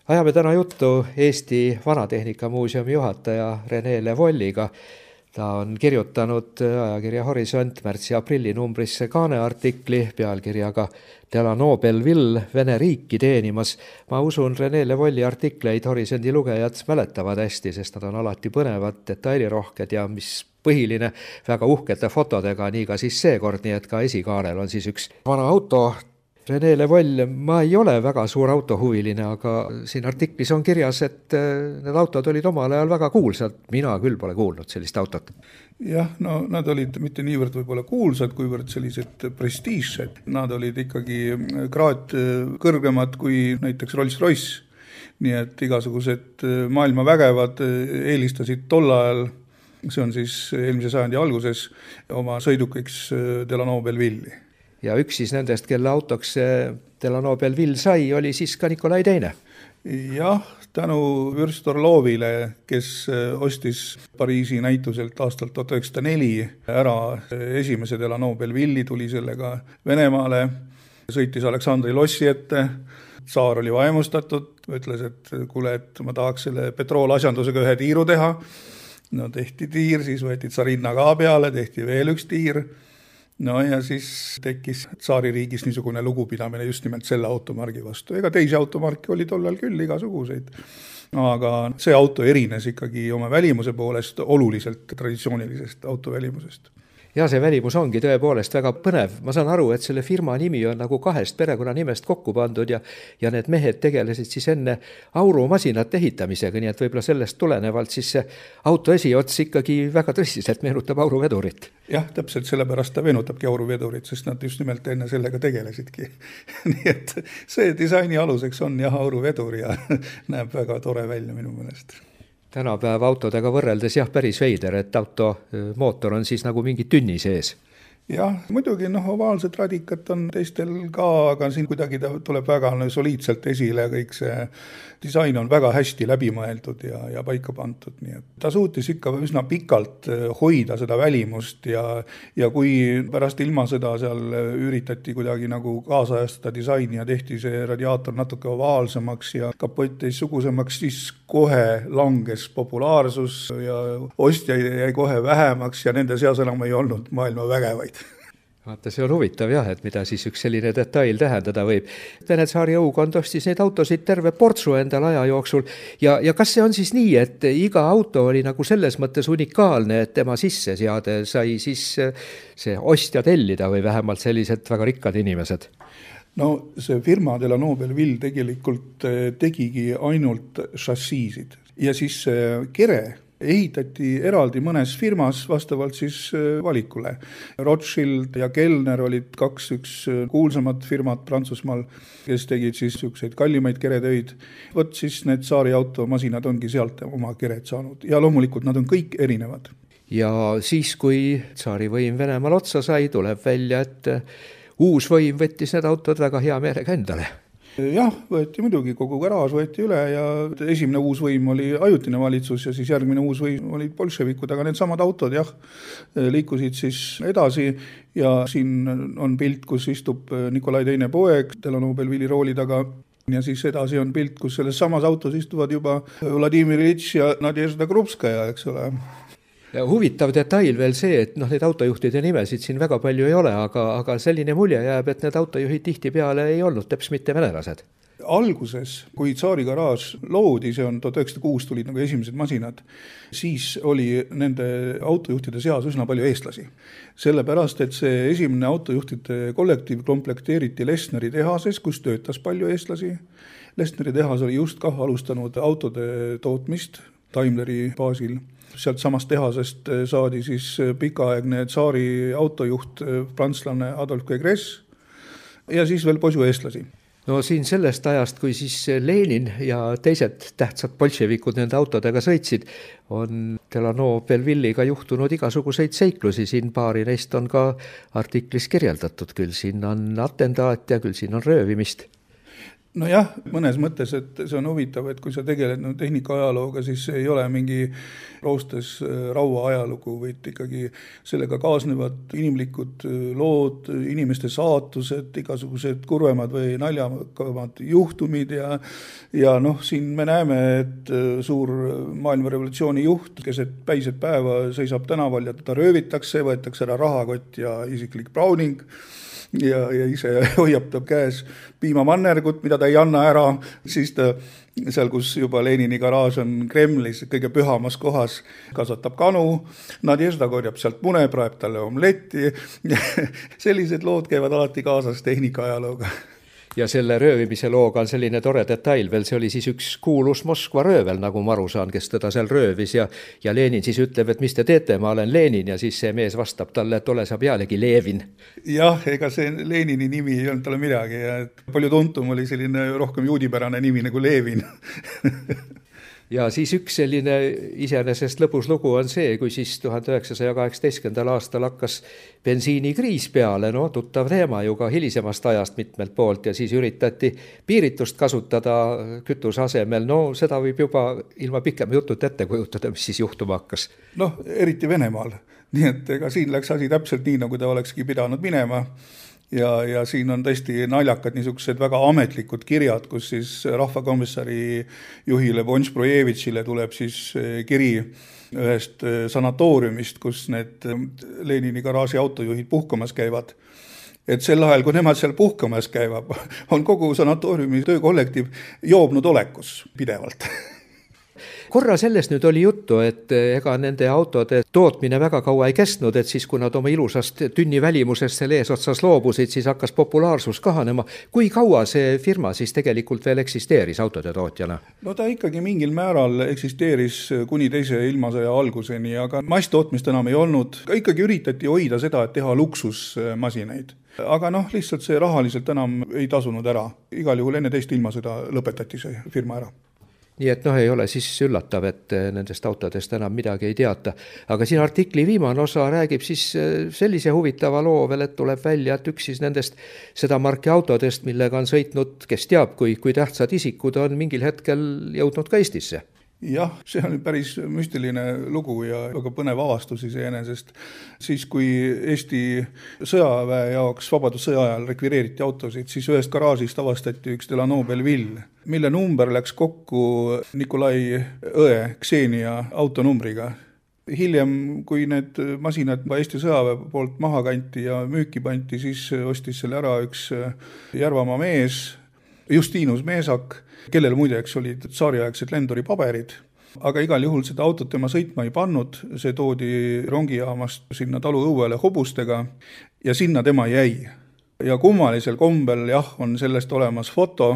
Ajame täna juttu Eesti Vanatehnikamuuseumi juhataja Rene Levolliga. Ta on kirjutanud ajakirja Horisont märtsi-aprilli numbrisse kaaneartikli pealkirjaga Delano Belleville Vene riiki teenimas. Ma usun, Rene Levolli artikleid Horisondi lugejad mäletavad hästi, sest nad on alati põnevad, detailirohked ja mis põhiline, väga uhkete fotodega, nii ka siis seekord, nii et ka esikaanel on siis üks vana auto. Rene Levoll, ma ei ole väga suur autohuviline, aga siin artiklis on kirjas, et need autod olid omal ajal väga kuulsad. Mina küll pole kuulnud sellist autot. Jah, no nad olid mitte niivõrd võib-olla kuulsad, kuivõrd sellised prestiižsed. Nad olid ikkagi kraad kõrgemad kui näiteks Rolls-Royce. Nii et igasugused maailma vägevad eelistasid tol ajal, see on siis eelmise sajandi alguses, oma sõidukiks Delano Belleville'i. Ja üks siis nendest, kelle autoks Delano Belleville sai, oli siis ka Nikolai II. Jah, tänu Vürst Orlovile, kes ostis Pariisi näituselt aastal 1904 ära esimese Delano Belleville'i, tuli sellega Venemaale, sõitis Aleksandri lossi ette, tsaar oli vaimustatud, ütles, et kuule, et ma tahaks selle petroolasjandusega ühe tiiru teha. No tehti tiir, siis võeti tsarinna ka peale, tehti veel üks tiir. No ja siis tekkis tsaaririigis niisugune lugupidamine just nimelt selle automargi vastu. Ega teisi automarki oli tollal küll igasuguseid. Aga see auto erines ikkagi oma välimuse poolest oluliselt traditsioonilisest auto välimusest. Ja see välimus ongi tõepoolest väga põnev. Ma saan aru, et selle firma nimi on nagu 2 perekonnanimest kokku pandud ja need mehed tegelesid siis enne aurumasinate ehitamisega, nii et võib-olla sellest tulenevalt siis see auto esiots ikkagi väga tõsiselt meenutab auruvedurit. Jah, täpselt sellepärast ta meenutabki auruvedurit, sest nad just nimelt enne sellega tegelesidki. Nii et see disaini aluseks on jah auruvedur ja näeb väga tore välja minu meelest. Tänapäeva autodega võrreldes jah päris veider, et auto mootor on siis nagu mingi tünni sees. Jah, muidugi ovaalsed radikat on teistel ka, aga siin kuidagi ta tuleb väga soliidselt esile, kõik see disain on väga hästi läbimõeldud ja paika pandud. Nii et ta suutis ikka üsna pikalt hoida seda välimust ja kui pärast ilmasõda seal üritati kuidagi nagu kaasajastada disaini ja tehti see radiaator natuke ovaalsemaks ja kapott teistsugusemaks, siis kohe langes populaarsus ja ostjaid jäi kohe vähemaks ja nende seas enam ei olnud maailma vägevaid. Vaata, see on huvitav jah, et mida siis üks selline detail tähendada võib. Vene tsaari õukond ostis neid autosid terve portsu endal aja jooksul ja kas see on siis nii, et iga auto oli nagu selles mõttes unikaalne, et tema sisse seade sai siis see ostja tellida või vähemalt sellised väga rikkad inimesed? No see firma Delano Belleville tegelikult tegigi ainult šassiisid ja siis kere ehitati eraldi mõnes firmas vastavalt siis valikule. Rothschild ja Kellner olid üks kuulsamad firmad Prantsusmaal, kes tegid siis selliseid kallimaid keretöid. Võt siis need tsaari automasinad ongi sealt oma kered saanud ja loomulikult nad on kõik erinevad. Ja siis, kui tsaari võim Venemaal otsa sai, tuleb välja, et uus võim võttis need autod väga hea meelega endale. Jah, võeti muidugi, kogu garaaž võeti üle ja esimene uus võim oli ajutine valitsus ja siis järgmine uus võim olid bolševikud, aga need samad autod jah, liikusid siis edasi ja siin on pilt, kus istub Nikolai II poeg Delano Belleville'i rooli taga ja siis edasi on pilt, kus selles samas autos istuvad juba Vladimir Iljitš ja Nadežda Krupskaja, eks ole. Ja huvitav detail veel see, et need autojuhtide nimesid siin väga palju ei ole, aga selline mulje jääb, et need autojuhid tihti peale ei olnud teps mitte venelased. Alguses, kui tsaari garaaž loodi, see on 1906 tulid nagu esimesed masinad, siis oli nende autojuhtide seas üsna palju eestlasi. Sellepärast, et see esimene autojuhtide kollektiiv komplekteeriti Lesneri tehases, kus töötas palju eestlasi. Lesneri tehas oli just ka alustanud autode tootmist Daimleri baasil. Sealt samast tehasest saadi siis pikaaegne tsaari autojuht prantslane Adolf Gegres ja siis veel poisu eestlasi. No siin sellest ajast, kui siis Lenin ja teised tähtsad bolševikud nende autodega sõitsid, on Delano Belleville'iga juhtunud igasuguseid seiklusi. Siin paari neist on ka artiklis kirjeldatud, küll siin on atendaat ja küll siin on röövimist. Nojah, mõnes mõttes, et see on huvitav, et kui sa tegeled tehnika ajalooga, siis see ei ole mingi roostes raua ajalugu, vaid ikkagi sellega kaasnevad inimlikud lood, inimeste saatused, igasugused kurvemad või naljakamad juhtumid ja siin me näeme, et suur maailmarevolutsiooni juht keset päiset päeva seisab tänaval ja teda röövitakse, võetakse ära rahakott ja isiklik Browning ja ise hoiab ta käes piimamannergut, mida ta ei anna ära, siis ta seal, kus juba Lenini garaaž on Kremlis, kõige pühamas kohas, kasvatab kanu, Nadježda korjab sealt mune, praeb talle omletti. Sellised lood käivad alati kaasas tehnika ajalooga. Ja selle röövimise looga on selline tore detail veel, see oli siis üks kuulus Moskva röövel, nagu ma aru saan, kes teda seal röövis ja Lenin siis ütleb, et mis te teete, ma olen Lenin ja siis see mees vastab talle, et ole sa pealegi Levin. Jah, ega see Lenini nimi ei olnud talle midagi ja palju tuntum oli selline rohkem juudipärane nimi nagu Levin. Ja siis üks selline iseenesest lõbus lugu on see, kui siis 1918. aastal hakkas bensiinikriis peale, tuttav teema ju ka hilisemast ajast mitmelt poolt ja siis üritati piiritust kasutada kütuse asemel. Seda võib juba ilma pikema jutut ette kujutada, mis siis juhtuma hakkas. Eriti Venemaal. Nii et ega siin läks asi täpselt nii, nagu ta olekski pidanud minema. Ja siin on tõesti naljakad niisugused väga ametlikud kirjad, kus siis rahvakomissari juhile Bonš-Brojevitšile tuleb siis kiri ühest sanatooriumist, kus need Lenini garaaži autojuhid puhkamas käivad. Et sel ajal, kui nemad seal puhkamas käivad, on kogu sanatooriumi töökollektiiv joobnud olekus pidevalt. Korra sellest nüüd oli juttu, et ega nende autode tootmine väga kaua ei kestnud, et siis kui nad oma ilusast tünni välimusest selle eesotsas loobusid, siis hakkas populaarsus kahanema. Kui kaua see firma siis tegelikult veel eksisteeris autode tootjana? Ta ikkagi mingil määral eksisteeris kuni teise ilmasõja alguseni, aga masstootmist enam ei olnud. Ikkagi üritati hoida seda, et teha luksusmasinaid. Aga lihtsalt see rahaliselt enam ei tasunud ära. Igal juhul enne teist ilmasõda lõpetati see firma ära. Nii et ei ole siis üllatav, et nendest autodest enam midagi ei teata. Aga siin artikli viimane osa räägib siis sellise huvitava loo veel, et tuleb välja, et üks siis nendest seda marki autodest, millega on sõitnud, kes teab, kui tähtsad isikud on mingil hetkel jõudnud ka Eestisse. Jah, see on päris müstiline lugu ja väga põnev avastus iseenesest. Siis, kui Eesti sõjaväe jaoks vabadussõja ajal rekvireeriti autosid, siis ühest garaažist avastati üks Delano Belleville, mille number läks kokku Nikolai õe Ksenia autonumbriga. Hiljem, kui need masinad Eesti sõjaväe poolt maha kanti ja müüki panti, siis ostis selle ära üks Järvamaa mees, Justinus Meesak, kellel muideks olid tsaariaegsed Lendori paberid, aga igal juhul seda autot tema sõitma ei pannud, see toodi rongijaamast sinna talu õuele hobustega ja sinna tema jäi. Ja kummalisel kombel on sellest olemas foto,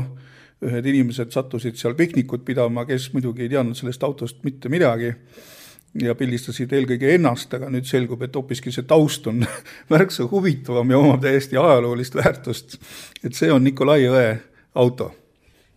ühed inimesed sattusid seal piknikut pidama, kes muidugi ei teadnud sellest autost mitte midagi ja pildistasid eelkõige ennast, aga nüüd selgub, et hoopiski see taust on märksa huvitavam ja omab täiesti ajaloolist väärtust, et see on Nikolai õe auto.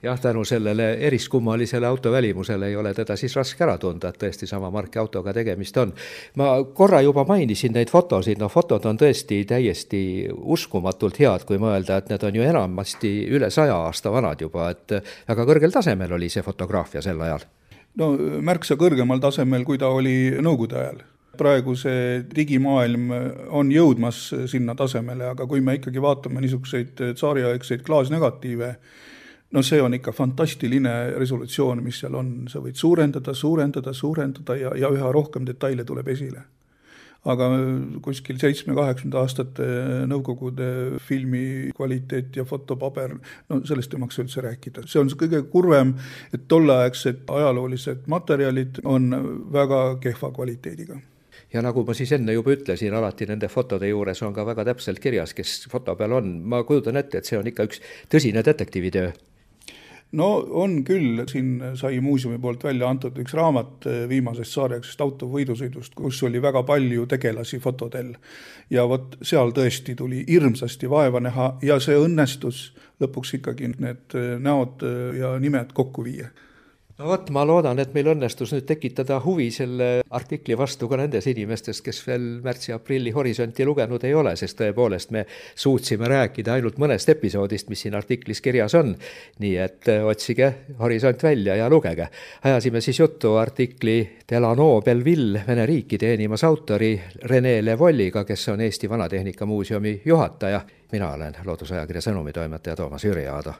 Jah, tänu sellele eriskummalisele auto välimusele ei ole teda siis raske ära tunda, et tõesti sama marki autoga tegemist on. Ma korra juba mainisin neid fotosid, fotod on tõesti täiesti uskumatult head, kui mõelda, et need on ju enamasti üle 100 aasta vanad juba, et väga kõrgel tasemel oli see fotograafia sel ajal. Märksa kõrgemal tasemel, kui ta oli nõukogude ajal. Praegu see digimaailm on jõudmas sinna tasemele, aga kui me ikkagi vaatame niisuguseid tsaariaegseid klaasnegatiive, see on ikka fantastiline resolutsioon, mis seal on. Sa võid suurendada ja üha rohkem detaile tuleb esile. Aga kuskil 7-80 aastate nõukogude filmi kvaliteet ja fotopaber, sellest ei maksa üldse rääkida. See on kõige kurvem, et tolleaegsed ajaloolised materjalid on väga kehva kvaliteediga. Ja nagu ma siis enne juba ütlesin, alati nende fotode juures on ka väga täpselt kirjas, kes foto peal on. Ma kujutan ette, et see on ikka üks tõsine detektiivitöö. On küll, siin sai muuseumi poolt välja antud üks raamat viimasest tsaariaegsest auto võidusõidust, kus oli väga palju tegelasi fotodel. Ja seal tõesti tuli hirmsasti vaeva näha ja see õnnestus lõpuks ikkagi need näod ja nimed kokku viia. no vot, ma loodan, et meil õnnestus nüüd tekitada huvi selle artikli vastu ka nendes inimestes, kes veel märtsi-aprilli Horisonti lugenud ei ole, sest tõepoolest me suutsime rääkida ainult mõnest episoodist, mis siin artiklis kirjas on. nii et otsige Horisont välja ja lugege. Ajasime siis juttu artikli Delano Belleville Vene riiki teenimas autori Rene Levolliga, kes on Eesti Vanatehnika Muuseumi juhataja. Mina olen Loodusajakirja sõnumitoimetaja Toomas Jüriaado.